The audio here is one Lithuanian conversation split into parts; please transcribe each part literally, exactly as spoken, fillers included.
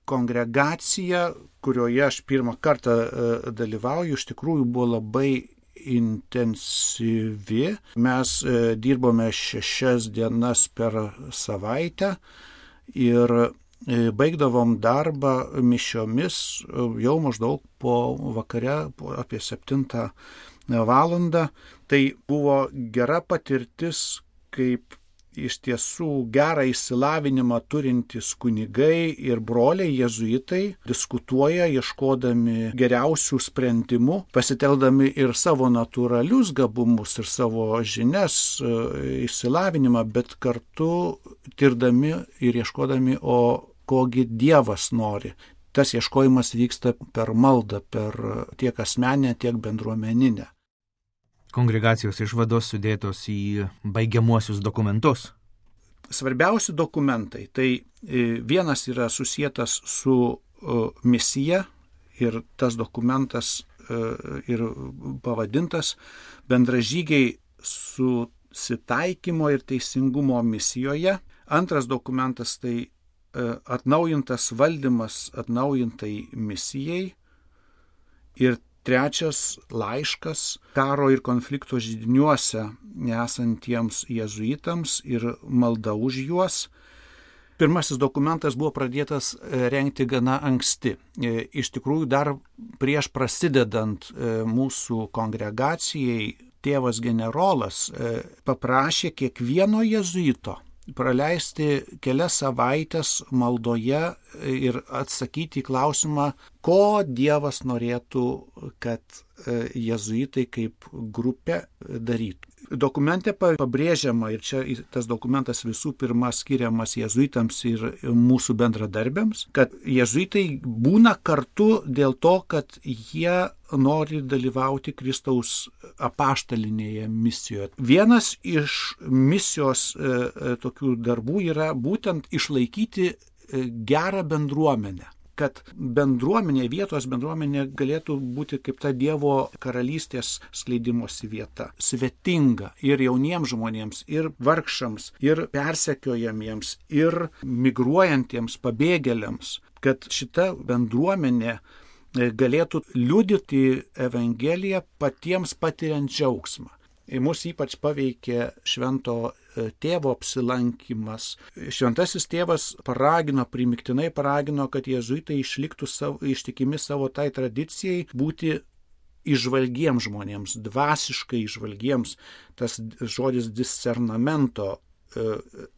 kongregacija, kurioje aš pirmą kartą dalyvauju, iš tikrųjų buvo labai intensyvi. Mes dirbome šešias dienas per savaitę ir baigdavom darbą mišiomis jau maždaug po vakare, po apie septintą valandą. Tai buvo gera patirtis, kaip iš tiesų gerą išsilavinimą turintys kunigai ir broliai jėzuitai diskutuoja, ieškodami geriausių sprendimų, pasiteldami ir savo natūralius gabumus, ir savo žinias, išsilavinimą, bet kartu tirdami ir ieškodami, o kogi Dievas nori. Tas ieškojimas vyksta per maldą, per tiek asmeninę, tiek bendruomeninę. Kongregacijos išvados sudėtos į baigiamuosius dokumentus. Svarbiausi dokumentai. Tai vienas yra susietas su misija ir tas dokumentas ir pavadintas Bendražygiai susitaikymo ir teisingumo misijoje. Antras dokumentas tai atnaujintas valdymas atnaujintai misijai. Ir trečias laiškas karo ir konflikto židiniuose esantiems jėzuitams ir malda už juos. Pirmasis dokumentas buvo pradėtas rengti gana anksti. Iš tikrųjų, dar prieš prasidedant mūsų kongregacijai, tėvas generolas paprašė kiekvieno jėzuito praleisti kelias savaitės maldoje ir atsakyti į klausimą, ko Dievas norėtų, kad jėzuitai kaip grupė darytų. Dokumente pabrėžiama, ir čia tas dokumentas visų pirma skiriamas jėzuitams ir mūsų bendradarbiams, kad jėzuitai būna kartu dėl to, kad jie nori dalyvauti Kristaus apaštalinėje misijoje. Vienas iš misijos e, tokių darbų yra būtent išlaikyti gerą bendruomenę. Kad bendruomenė, vietos bendruomenė galėtų būti kaip ta Dievo karalystės skleidimosi vieta. Svetinga ir jauniems žmonėms, ir vargšams, ir persekiojamiems, ir migruojantiems pabėgėliams. Kad šita bendruomenė galėtų liudyti Evangeliją patiems patiriant džiaugsmą. Mus ypač paveikė švento tėvo apsilankimas. Šventasis tėvas paragino, primiktinai paragino, kad jėzuitai išliktų savo, ištikimi savo tai tradicijai būti įžvalgiems žmonėms, dvasiškai įžvalgiems. Tas žodis discernamento,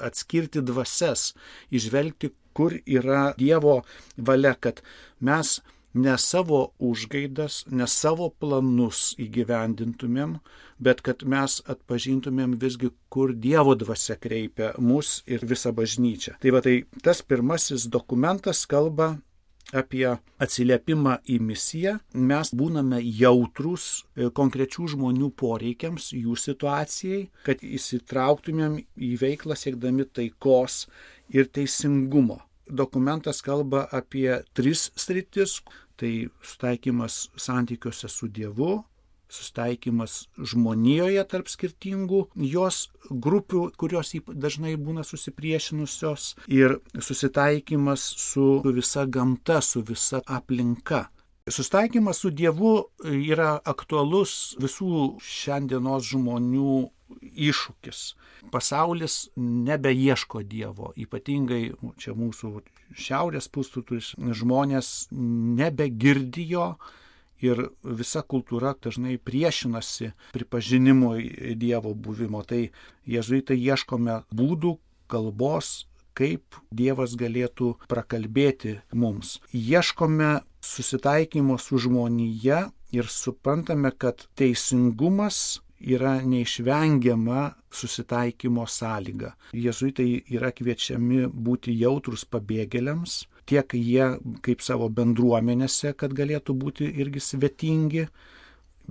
atskirti dvasias, įžvelgti, kur yra Dievo valia, kad mes ne savo užgaidas, ne savo planus įgyvendintumėm, bet kad mes atpažintumėm visgi, kur Dievo dvasia kreipia mus ir visą bažnyčią. Tai va, tai tas pirmasis dokumentas kalba apie atsiliepimą į misiją. Mes būname jautrūs konkrečių žmonių poreikiams, jų situacijai, kad įsitrauktumėm į veiklą siekdami taikos ir teisingumo. Dokumentas kalba apie tris sritis, tai sustaikymas santykiuose su Dievu, sustaikymas žmonijoje tarp skirtingų jos grupių, kurios dažnai būna susipriešinusios, ir susitaikymas su visa gamta, su visa aplinka. Sustaikymas su Dievu yra aktualus visų šiandienos žmonių iššūkis. Pasaulis nebeieško Dievo, ypatingai čia mūsų šiaurės pusrutulis žmonės nebegirdi jo ir visa kultūra dažnai priešinasi pripažinimui Dievo buvimo. Tai jėzuitai ieškome būdų, kalbos, kaip Dievas galėtų prakalbėti mums. Ieškome susitaikymo su žmonija ir suprantame, kad teisingumas yra neišvengiama susitaikymo sąlyga. Jėzuitai yra kviečiami būti jautrus pabėgėliams, tiek jie kaip savo bendruomenėse, kad galėtų būti irgi svetingi,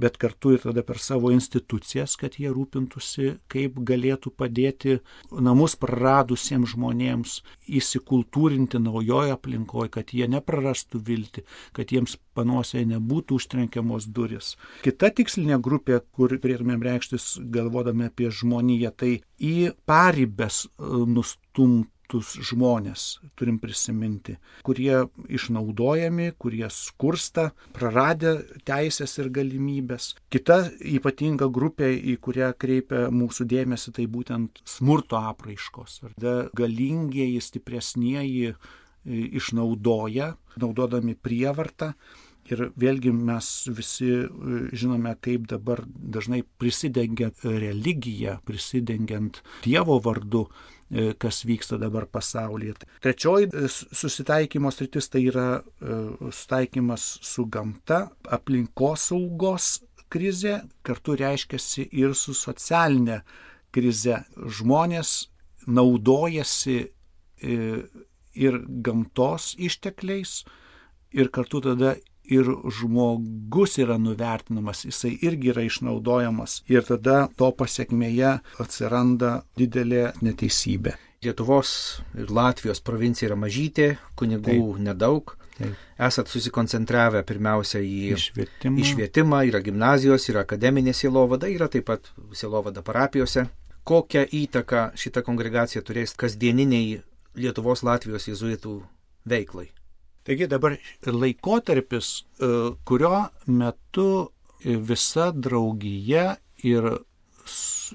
bet kartu ir tada per savo institucijas, kad jie rūpintųsi, kaip galėtų padėti namus praradusiems žmonėms įsikultūrinti naujoje aplinkoje, kad jie neprarastų viltį, kad jiems panosėje nebūtų užtrenkiamos duris. Kita tikslinė grupė, kur turėtumėm reikštis galvodami apie žmoniją, tai į paribes nustumti nekaltus žmonės, turim prisiminti, kurie išnaudojami, kurie skursta, praradę teisės ir galimybės. Kita ypatinga grupė, į kurią kreipia mūsų dėmesį, tai būtent smurto apraiškos. Galingieji, stipresnieji išnaudoja, naudodami prievartą. Ir vėlgi mes visi žinome, kaip dabar dažnai prisidengiant religiją, prisidengiant Dievo vardu, kas vyksta dabar pasaulyje. Trečioji susitaikymo sritis tai yra susitaikymas su gamta, aplinkosaugos krizė, kartu reiškiasi ir su socialinė krize. Žmonės naudojasi ir gamtos ištekliais, ir kartu tada ir žmogus yra nuvertinamas, jisai irgi yra išnaudojamas ir tada to pasekmėje atsiranda didelė neteisybė. Lietuvos ir Latvijos provincija yra mažytė, kunigų Taip. nedaug. Taip. Esat susikoncentravę pirmiausia į švietimą. į švietimą, yra gimnazijos, yra akademinė sielovada, yra taip pat sielovada parapijose. Kokią įtaką šita kongregacija turės kasdieniniai Lietuvos Latvijos jėzuitų veiklai? Taigi dabar laikotarpis, kurio metu visa draugija ir,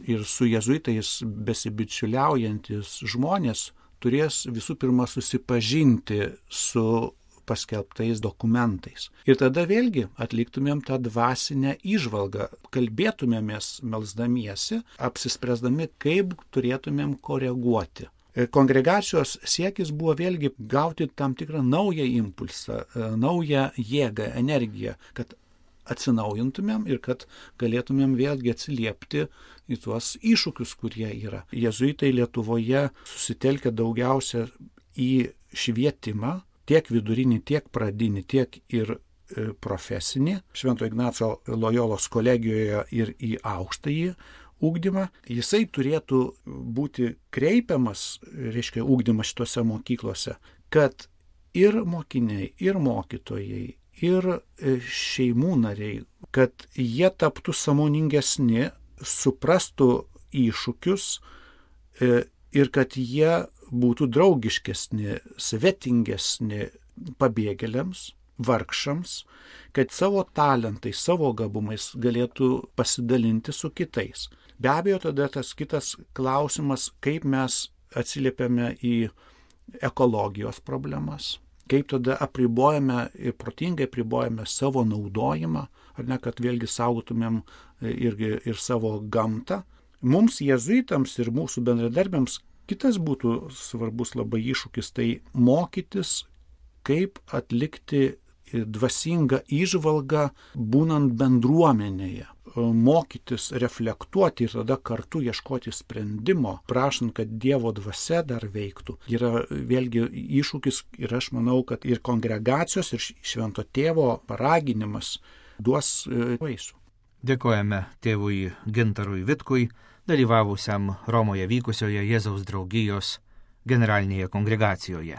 ir su jėzuitais besibičiuliaujantis žmonės turės visų pirma susipažinti su paskelbtais dokumentais. Ir tada vėlgi atliktumėm tą dvasinę įžvalgą, kalbėtumėmės melsdamiesi, apsispręsdami, kaip turėtumėm koreguoti. Kongregacijos siekis buvo vėlgi gauti tam tikrą naują impulsą, naują jėgą, energiją, kad atsinaujintumėm ir kad galėtumėm vėlgi atsiliepti į tuos iššūkius, kurie yra. Jėzuitai Lietuvoje susitelkia daugiausia į švietimą, tiek vidurinį, tiek pradinį, tiek ir profesinį, Švento Ignaco Lojolos kolegijoje ir į aukštąjį ugdymą. Jisai turėtų būti kreipiamas, reiškia, ugdymas šitose mokyklose, kad ir mokiniai, ir mokytojai, ir šeimų nariai, kad jie taptų sąmoningesni, suprastų iššūkius ir kad jie būtų draugiškesni, svetingesni pabėgėliams, vargšams, kad savo talentais, savo gabumais galėtų pasidalinti su kitais. Be abejo, tada tas kitas klausimas, kaip mes atsiliepiame į ekologijos problemas, kaip tada apribojame ir protingai apribojame savo naudojimą, ar ne, kad vėlgi saugotumėm irgi ir savo gamtą. Mums, jėzuitams ir mūsų bendradarbiams, kitas būtų svarbus labai iššūkis, tai mokytis, kaip atlikti dvasingą įžvalgą būnant bendruomenėje, mokytis, reflektuoti ir tada kartu ieškoti sprendimo, prašant, kad Dievo dvasia dar veiktų. Yra vėlgi iššūkis ir aš manau, kad ir kongregacijos, ir Švento Tėvo paraginimas duos vaisių. Dėkojame tėvui Gintarui Vitkui, dalyvavusiam Romoje vykusioje Jėzaus draugijos generalinėje kongregacijoje.